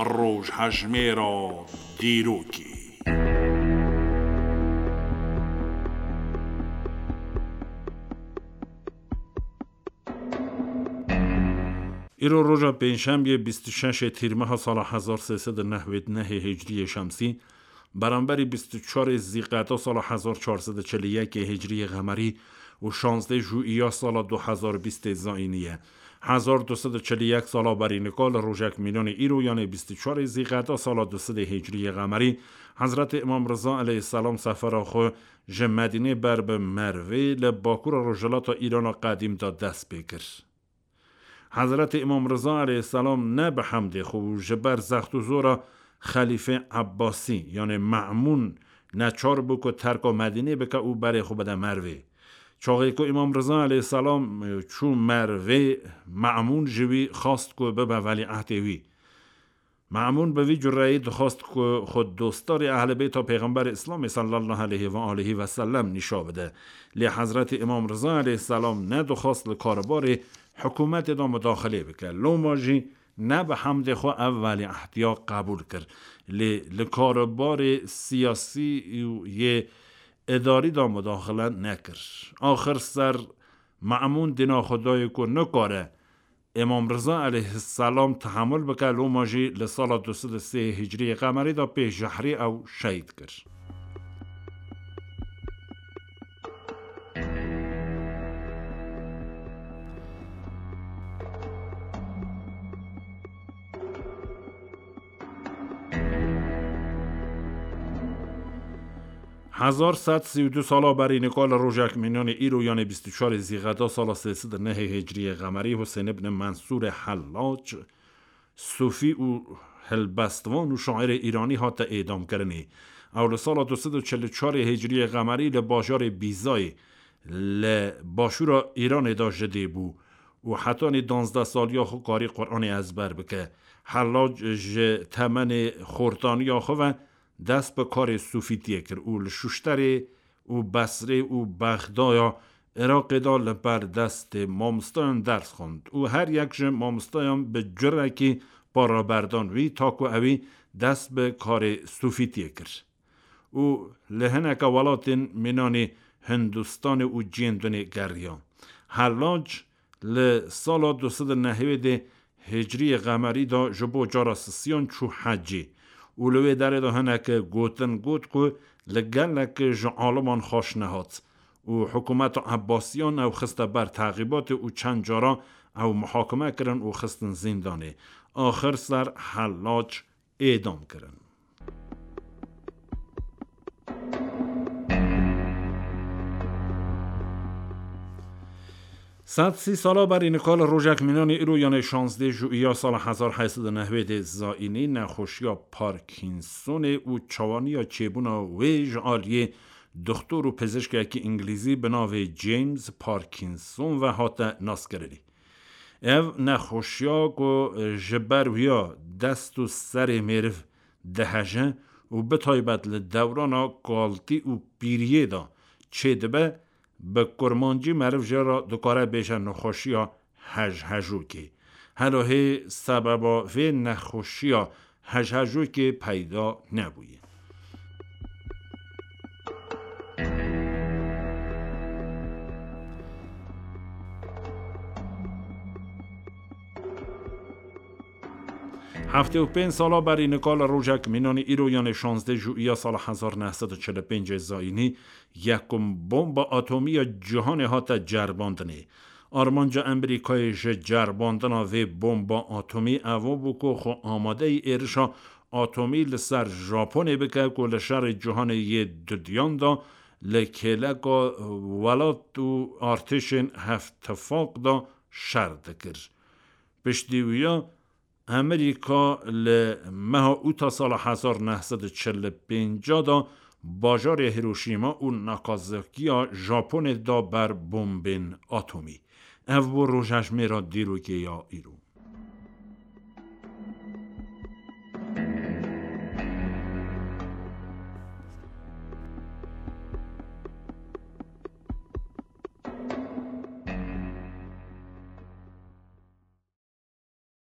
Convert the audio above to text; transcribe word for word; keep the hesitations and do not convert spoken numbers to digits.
Rojhejmêra dîrokê. Îro roja pêncşemiyê bîst û şeş ê Tîrmeha sala hezar sê sed û newêd nehê Hicriyê Şemsî, beramberî bîst û çar ê Zîqeta sala hezar çar sed û çil û yek ê Hicriyê Qemerî û şazdeh Jûiya sala du hezar bîst ê Zayînî ye. Hezar du sed û çil û yek sala berî nika li rojek mînanê îro, yanê bîst û çar ê Zîqeta sala du sed ê Hicriyê Qemerî, Hezretê Îmam Riza aleyhisselam sefera xwe ji Medînê ber bi Mervê li bakura rojhilata Îrana qedîm de dest pê kir. Hezretê Îmam Riza aleyhisselam ne bi hemdê xwe û ji ber zext û zora Xelîfê Ebbasî, yanê Me'mûn, neçar bû ku terka Medînê bike û berê xwe bide Mervê. Çaxê ku Îmam Riza aleyhisselam çû Mervê, Me'mûn ji wî xwest ku bibe welîehdê wî. Me'mûn bi vî cureyî dixwest ku xwe dostdarê Ehlê Beyta Pêxemberê Îslamê sallallahu aleyhi ve aleyhi ve sellem nîşa bide. Lê Hezretê Îmam Riza aleyhisselam nedixwest li karbarê hikûmetê de mudaxilê bike. Loma jî ne bi hemdê xwe ev welîehdiya qebûl kir. Lê li karbarê siyasî û yê îdarî de mudaxile nekir. Axir ser Me'mûn dîna xwe dayê ku nikare Îmam Riza aleyhisselam tehemul bike, loma jî li sala du sed û sê Hicriyê Qemerî de pê jehrê ew şehîd kir. Hezar sed sî û du sala berî nika li rojek mînanê îro, yanê bîst û çar ê Zîqeta sala sê sed û nehê Hicriyê Qemerî, Husên ibn Mensûrê Hellac, sufî û hilbestvan û şairê îranî hate êdamkirinê. Ew li sala du sed û çil û çar ê Hicriyê Qemerî li bajarê Bîzayê li başûra Îranê de ji dê bû û hetanî danzdeh saliya xwe karî Quranê ezber bike. Hellac ji temenê xortaniya xwe ve dest bi karê sufîtiyê kir û li Şuşterê û Besrê û Bexdaya Iraqê de li ber destê mamostayan ders xwend û her yek ji mamostayan bi curekî paraberdan wî, ta ku ewî dest bi karê sufîtiyê kir û li hineke welatên mînanî Hindistanê û cihên dinê geriya. Hellac li sala du sed û nehwêdê Hicriyê Qemerî de ji bo cara sisiyan çû hecê û li wê derê de hineke gotin got ku li gelek ji aliman xweş nehat û hikûmeta Ebbasiyan ew xiste ber teqîbatê û çend cara ew muhakime kirin û xistin zîndanê. Axir ser Hellac êdam kirin. Sed sî sala berî nika li rojek mînanê îro, yanê şazdeh Jûiya sala hezar heyt sed û newêdê Zayînî, nexweşiya Parkinsonê û çawaniya çêbûna wê ji aliyê doxtor û pizişkekî îngilîzî bi navê James Parkinson ve hate naskirinê. Ev nexweşiya ku ji ber wiya dest û serê mêriv diheje û bi taybet li dewrana kaltî û pîriyê de çêdibe, bi kurmancî meriv jê re dikare bêje nexweşiya hejhejokê. Helo hê sebeba vê nexweşiya hejhejokê peyda nebûye. Heftê û pênc sala berî nika li rojek mînanî îro, yanê şazdeh Jûiya sala hezar neh sed û çil û pêncê Zayînî, yekum bomba atomî ya cîhanê hate cerbandinê. Armanca Amerîkayê ji cerbandina vê bomba atomî evo bû ku xwe amadeyî êrişa atomî li ser Japonê bike ku li şerê cîhanê yê dudiyan de li kêleka welat û artêşên hevtifaq de şer dikir. Piştî wiya Amerîka li meha Ûta sala hezar neh sed û çil û pênc de bajarê Hiroşîma û Nakazakiya Japonê da ber bombên atomî. Ev bû rojhejmêra dîrokê ya îro.